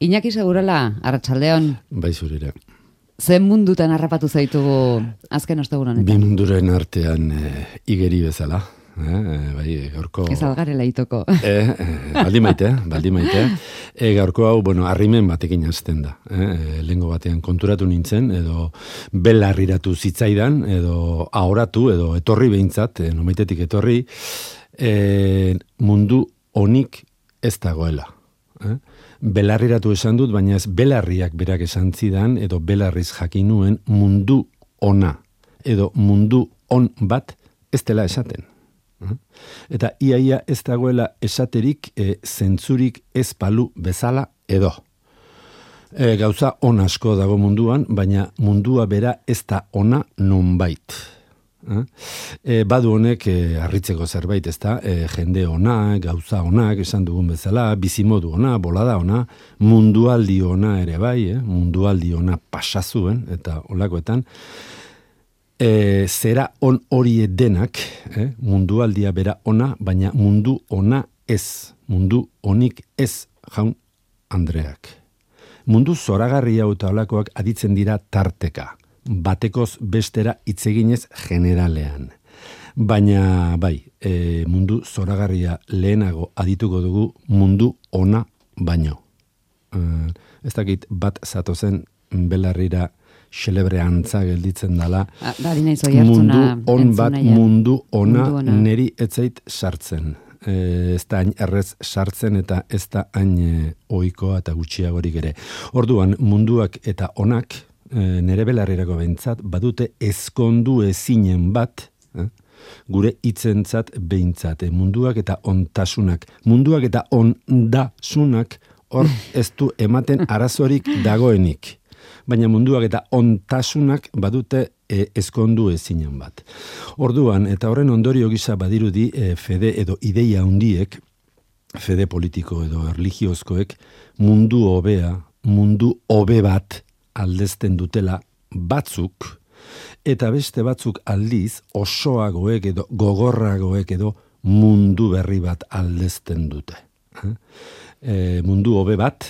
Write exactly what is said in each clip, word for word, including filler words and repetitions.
Iñaki Segurola, arratsaldeon. Bai zurira. Zen mundutan harrapatu zaitugu azken ostegun honetan? Bi munduren artean e, igeri bezala. Eh, bai, gaurko... Ez algarela itoko. Eh, eh, baldi maite, baldi maite. E, gaurko hau, bueno, arrimen batekin hasten da. Eh, lengo batean konturatu nintzen, edo belarriratu zitzaidan, edo ahoratu, edo etorri behintzat, eh, nomaitetik etorri, eh, mundu honik ez dagoela. Eh? Belarriratu esan dut, baina ez belarriak berak esan zidan, edo belarriz jakin nuen mundu ona, edo mundu on bat ez dela esaten. Eta iaia ez dagoela esaterik e, zentzurik ez palu bezala edo. E, gauza on asko dago munduan, baina mundua bera ez da ona nonbait. E, badu honek e, harritzeko zerbait, ez da, e, jende ona, gauza onak, esan dugun bezala, bizimodu ona, bolada ona, mundualdi ona ere bai, eh? mundualdi ona pasazuen, eta olakoetan, E, zera on horie denak, eh, mundualdia bera ona, baina mundu ona ez, mundu onik ez, jaun Andreak. Mundu zoragarria eta olakoak aditzen dira tarteka, batekoz bestera hitzeginez generalean. Baina, bai, e, mundu zoragarria lehenago adituko dugu mundu ona baino. E, ez dakit bat zatozen belarrira xelebre antza gelditzen dala, da, mundu on bat, mundu ona, ona. Neri etzait sartzen. E, ez da hain errez sartzen eta ez da hain e, ohikoa eta gutxiagorik ere. Orduan, munduak eta onak, e, nere belarrirako behintzat, badute ezkondu ezinen bat, eh? gure hitzentzat behintzat. E, munduak eta ontasunak, munduak eta ondasunak, hor ez du ematen arazorik dagoenik. Baina munduak eta ontasunak badute e, ezkondu ezinen bat. Orduan, eta horren ondorio gisa badirudi e, fede edo ideia hundiek, fede politiko edo erligiozkoek, mundu hobea, mundu hobe bat aldezten dutela batzuk, eta beste batzuk aldiz osoagoek edo gogorragoek edo mundu berri bat aldezten dute. E, mundu hobe bat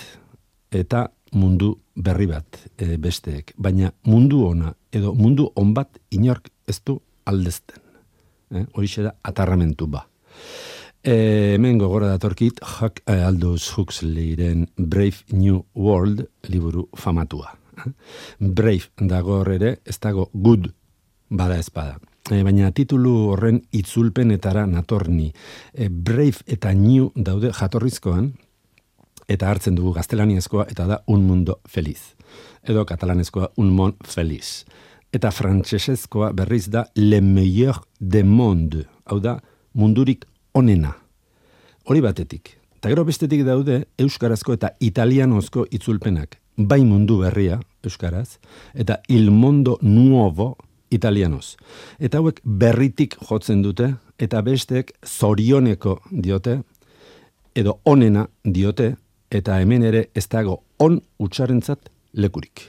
eta mundu berri bat e, besteek, baina mundu ona edo mundu on bat inork ez du aldezten. Eh? Horixe da atarramentu ba. E, hemen gogora datorkit Huck, eh, Aldous Huxleyren Brave New World liburu famatua. Eh? Brave dago ere, ez dago good bada ezpada. E, baina titulu horren itzulpenetara natorni. E, Brave eta New daude jatorrizkoan, eta hartzen dugu gaztelaniazkoa, eta da un mundo feliz. Edo katalanezkoa un mon feliz. Eta frantsesezkoa berriz da le meilleur de monde. Hau da, mundurik onena. Hori batetik. Eta gero bestetik daude euskarazko eta italianozko itzulpenak. Bai mundu berria, euskaraz, eta il mondo nuovo italianoz. Eta hauek berritik jotzen dute, eta bestek zorioneko diote, edo onena diote, eta hemen ere ez dago on utxarentzat lekurik.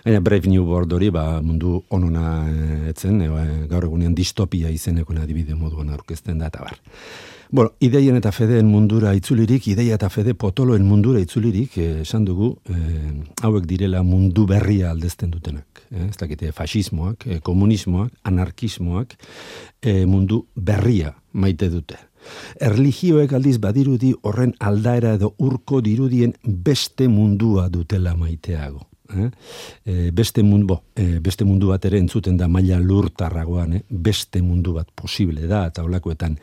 Baina Brave New World hori ba, mundu onona etzen, e, gaur egunean distopia izeneko adibide moduan aurkezten da eta bar. Bueno, ideien eta fedeen mundura itzulirik, ideia eta fede potoloen mundura itzulirik, eh, esan dugu, eh, hauek direla mundu berria aldezten dutenak. Eh, ez dakite, fasismoak, eh, komunismoak, anarkismoak, eh, mundu berria maite dute. Erlijioek aldiz badirudi horren aldaera edo urko dirudien beste mundua dutela maiteago. Eh? E, beste, mundu, e, beste mundu bat ere entzuten da maila lurtarragoan, eh? Beste mundu bat posible da, eta holakoetan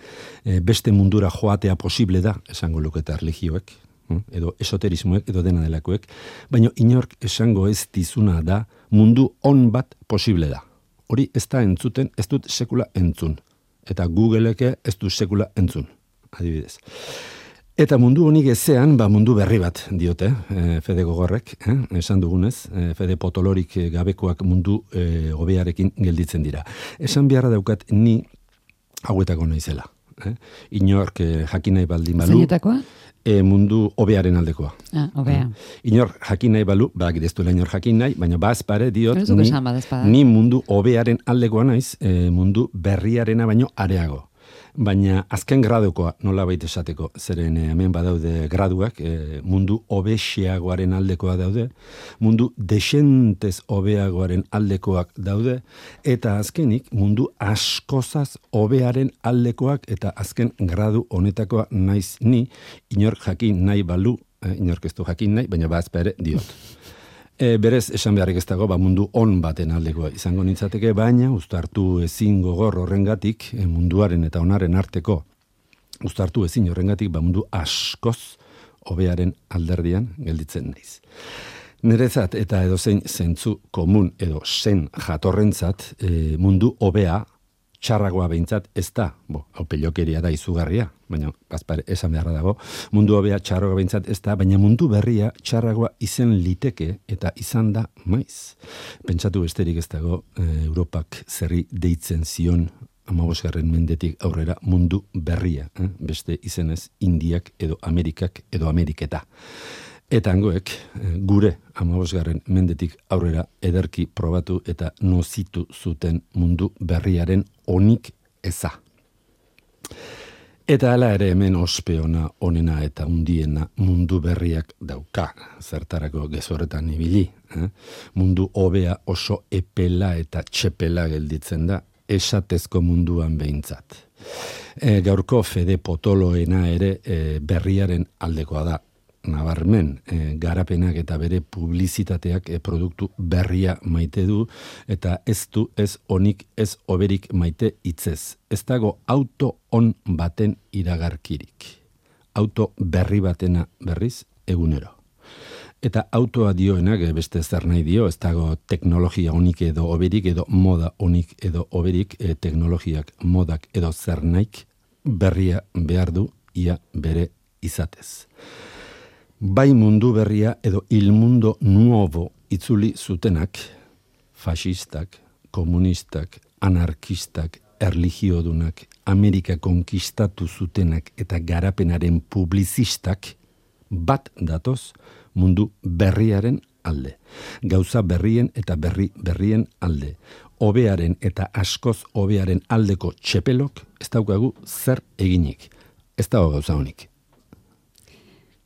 e, beste mundura joatea posible da, esango luketa erlijioek, eh? Edo esoterismoek, edo dena delakoek, baina inork esango ez dizuna da mundu on bat posible da. Hori ez da entzuten, ez dut sekula entzun. Eta Googleeke ez du sekula entzun, adibidez. Eta mundu honik ezean, ba mundu berri bat diote, e, fede gogorrek, eh? esan dugunez, e, fede potolorik gabekoak mundu e, hobearekin gelditzen dira. Esan beharra daukat ni hauetako naizela. Eh? Inork e, jakin nahi baldin balu. Zeinetakoa? E, mundu hobearen aldekoa. Ah, hobea. Eh? Inor jakin nahi balu, bak destuela inor jakin nahi, baina bazpare diot ni, ni mundu hobearen aldekoa naiz, e, mundu berriarena baino areago. Baina azken gradukoa nola baita esateko, zeren hemen badaude graduak, e, mundu hobexiagoaren aldekoa daude, mundu desentez hobeagoaren aldekoak daude, eta azkenik mundu askozaz hobearen aldekoak, eta azken gradu honetakoa naiz ni, inor jakin nahi balu, e, inork ez du jakin nahi, baina bazpa ere diot. E, berez, esan beharrik ez dago, ba, mundu on baten aldekoa izango nintzateke, baina uztartu ezin gogor horrengatik, e, munduaren eta onaren arteko, uztartu ezin horrengatik, ba, mundu askoz hobearen alderdian gelditzen naiz. Nerezat eta edozein zentzu komun edo zen jatorrentzat, e, mundu hobea, txarragoa behintzat ez da, bo, hau pelokeria da izugarria, baina bazpare esan beharra dago, mundu hobea txarragoa behintzat ez da, baina mundu berria txarragoa izen liteke eta izan da maiz. Pentsatu besterik ez dago, e, Europak zerri deitzen zion hamabosgarren mendetik aurrera mundu berria, eh? Beste izenez Indiak edo Amerikak edo Ameriketa. Eta hangoek, gure hamabosgarren mendetik aurrera ederki probatu eta nozitu zuten mundu berriaren onik eza. Eta hala ere hemen ospeona, onena eta undiena mundu berriak dauka, zertarako gezorretan ibili. Eh? Mundu hobea oso epela eta txepela gelditzen da, esatezko munduan behintzat. E, gaurko Fede Potoloena ere e, berriaren aldekoa da. Nabarmen, e, garapenak eta bere publizitateak e, produktu berria maite du, eta ez du ez onik ez oberik maite hitzez. Ez dago auto on baten iragarkirik. Auto berri batena berriz egunero. Eta autoa dioenak beste zer nahi dio, ez dago teknologia onik edo oberik edo moda onik edo oberik, e, teknologiak, modak edo zer naik berria behar du ia bere izatez. Bai mundu berria edo il mundo nuovo itzuli zutenak, fascistak, komunistak, anarkistak, erligiodunak, Amerika konkistatu zutenak eta garapenaren publizistak, bat datoz mundu berriaren alde. Gauza berrien eta berri berrien alde. Hobearen eta askoz hobearen aldeko txepelok ez daukagu zer eginik. Ez dago gauza honik.